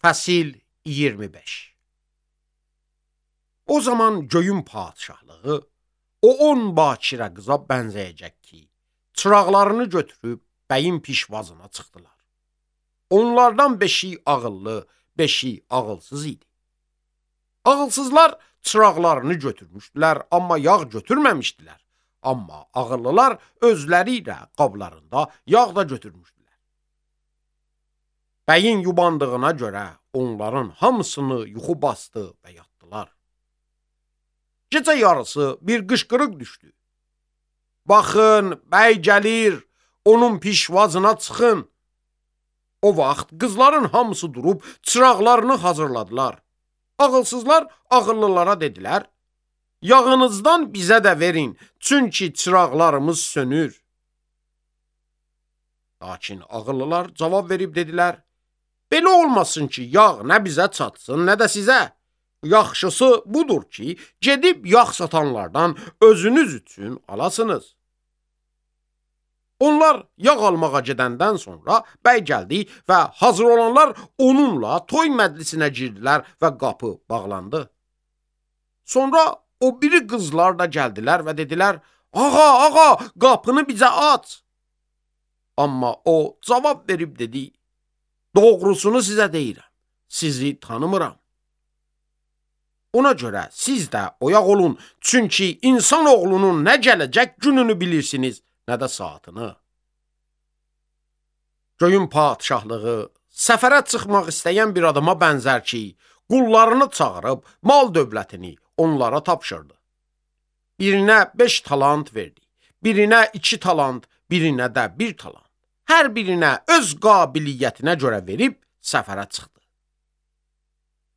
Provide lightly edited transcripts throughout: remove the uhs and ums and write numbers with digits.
Fəsil 25. O zaman göyün padişahlığı o 10 bakirə qıza bənzəyəcək ki, çıraqlarını götürüb bəyin pişvazına çıxdılar. Onlardan 5-i ağıllı, 5-i ağılsız idi. Ağılsızlar çıraqlarını götürmüşdülər, amma yağ götürməmişdilər. Amma ağıllılar özləri ilə qablarında yağ da götürmüşdülər. Bəyin yubandığına görə onların hamısını yuxu bastı və yatdılar. Gecə yarısı bir qışqırıq düşdü. Baxın, bəy gəlir, onun pişvazına çıxın. O vaxt qızların hamısı durub çıraqlarını hazırladılar. Ağılsızlar ağıllılara dedilər, yağınızdan bizə də verin, çünki çıraqlarımız sönür. Lakin ağıllılar cavab verib dedilər, belə olmasın ki, yağ nə bizə çatsın, nə də sizə. Yaxşısı budur ki, gedib yağ satanlardan özünüz üçün alasınız. Onlar yağ almağa gedəndən sonra bəy gəldi və hazır olanlar onunla toy məclisinə girdilər və qapı bağlandı. Sonra o biri qızlar da gəldilər və dedilər, ağa, qapını bizə aç. Amma o cavab verib dedi, doğrusunu sizə deyirəm, sizi tanımıram. Ona görə siz də oyaq olun, çünki insan oğlunun nə gələcək gününü bilirsiniz, nə də saatını. Göyün padişahlığı səfərə çıxmaq istəyən bir adama bənzər ki, qullarını çağırıb mal dövlətini onlara tapşırdı. Birinə 5 talant verdi, birinə 2 talant, birinə də 1 talant. Hər birinə öz qabiliyyətinə görə verib səfərə çıxdı.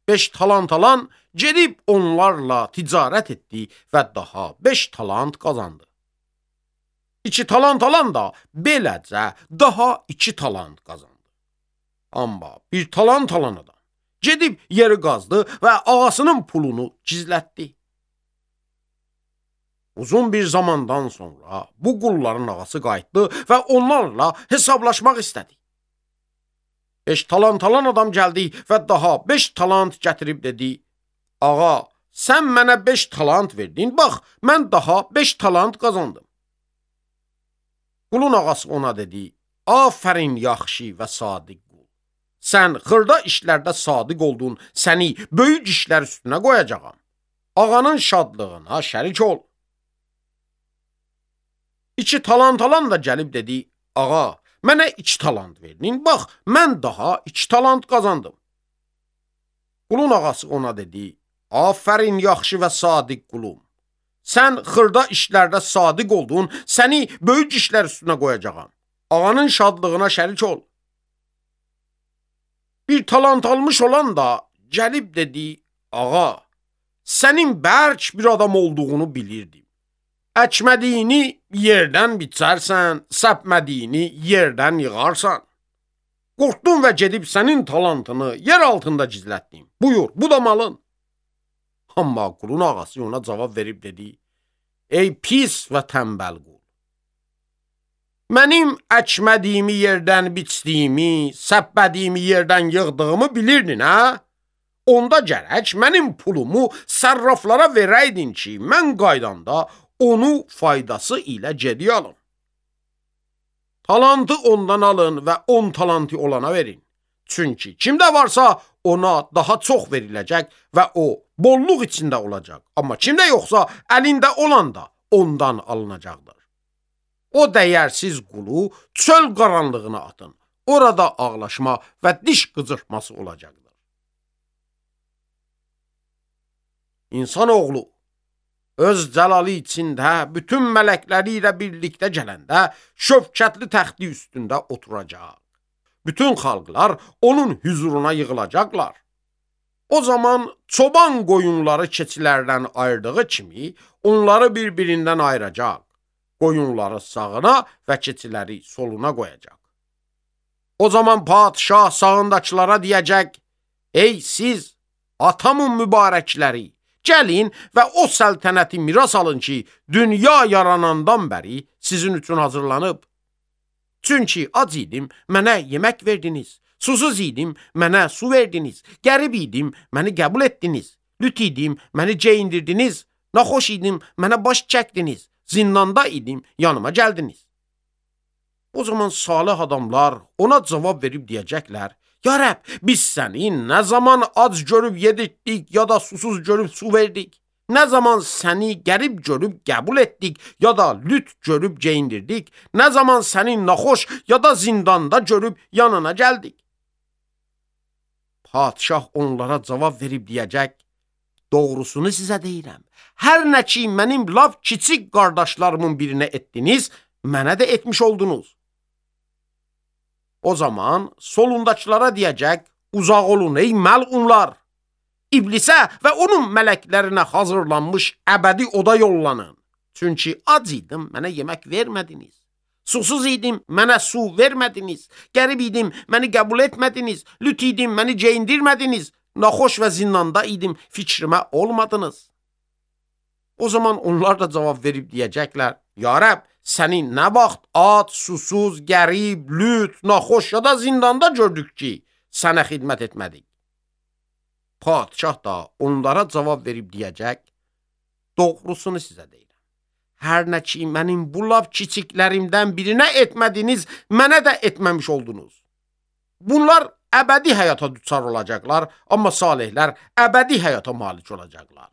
5 talant alan gedib onlarla ticarət etdi və daha 5 talant qazandı. 2 talant alan da beləcə daha 2 talant qazandı. Amma 1 talant alan adam gedib yeri qazdı və ağasının pulunu gizlətdi. Uzun bir zamandan sonra bu qulların ağası qayıtdı və onlarla hesablaşmaq istədi. 5 talant alan adam gəldi və daha 5 talant gətirib dedi, ağa, sən mənə 5 talant verdin, bax, mən daha 5 talant qazandım. Qulun ağası ona dedi, afərin yaxşı və sadiq qul. Sən xırda işlərdə sadiq oldun, səni böyük işlər üstünə qoyacağam. Ağanın şadlığına şərik ol. 2 talant alan da gəlib dedi, ağa, mənə 2 talant verdin, bax, mən daha 2 talant qazandım. Qulun ağası ona dedi, afərin yaxşı və sadiq qulum. Sən xırda işlərdə sadiq oldun, səni böyük işlər üstünə qoyacağam. Ağanın şadlığına şərik ol. 1 talant almış olan da gəlib dedi, ağa, sənin bərk bir adam olduğunu bilirdim. Əkmədiyini yerdən biçərsən, səpmədiyini yerdən yığarsan. Qorxdum və gedib sənin talantını yer altında gizlətdim. Buyur, bu da malın. Amma qulun ağası ona cavab verib dedi, ey pis və tənbəl qul. Mənim əkmədiyimi yerdən biçdiyimi, səpmədiyimi yerdən yığdığımı bilirdin, hə? Onda gərək mənim pulumu sərraflara verəydin ki, mən qaydanda onu faydası ilə geri alın. Talantı ondan alın və 10 talantı olana verin. Çünki kimdə varsa ona daha çox veriləcək və o bolluq içində olacaq. Amma kimdə yoxsa əlində olan da ondan alınacaqdır. O dəyərsiz qulu çöl qaranlığına atın. Orada ağlaşma və diş qıcırtması olacaqdır. İnsanoğlu öz cəlalı içində bütün mələkləri ilə birlikdə gələndə şövkətli təxti üstündə oturacaq. Bütün xalqlar onun hüzuruna yığılacaqlar. O zaman çoban qoyunları keçilərdən ayırdığı kimi onları bir-birindən ayıracaq. Qoyunları sağına və keçiləri soluna qoyacaq. O zaman padişah sağındakılara deyəcək, ey siz atamın mübarəkləri, gəlin və o səltənəti miras alın ki, dünya yaranandan bəri sizin üçün hazırlanıb. Çünki ac idim, mənə yemək verdiniz, Susuz idim, mənə su verdiniz. Qərib idim, məni qəbul etdiniz. Lüt idim, məni geyindirdiniz. Naxoş idim, mənə baş çəkdiniz. Zindanda idim, yanıma gəldiniz. O zaman salih adamlar ona cavab verib deyəcəklər: Ya Rəbb, biz səni nə zaman ac görüb yedirtdik, ya da susuz görüb su verdik? Nə zaman səni qərib görüb qəbul etdik, ya da lüt görüb geyindirdik? Nə zaman səni naxoş, ya da zindanda görüb yanına gəldik? Padişah onlara cavab verib deyəcək: Doğrusunu sizə deyirəm. Hər nə ki mənim lap kiçik qardaşlarımın birinə etdiniz, mənə də etmiş oldunuz. O zaman solundakılara deyəcək: Uzaq olun ey məlunlar! İblisə və onun mələklərinə hazırlanmış əbədi oda yollanın. Çünki ac idim, mənə yemək vermədiniz. Susuz idim, mənə su vermədiniz. Qərib idim, məni qəbul etmədiniz. Lüt idim, məni geyindirmədiniz. Naxoş və zindanda idim, fikrimə olmadınız. O zaman onlar da cavab verib deyəcəklər: Ya Rəbb, səni nə vaxt ac, susuz, qərib, lüt, naxoş ya da zindanda gördük ki, sənə xidmət etmədik. Padişah da onlara cavab verib deyəcək: Doğrusunu sizə deyirəm. Hər nə ki mənim bu lap kiçiklərimdən birinə etmədiniz, mənə də etməmiş oldunuz. Bunlar əbədi həyata düçar olacaqlar, amma salihlər əbədi həyata malik olacaqlar.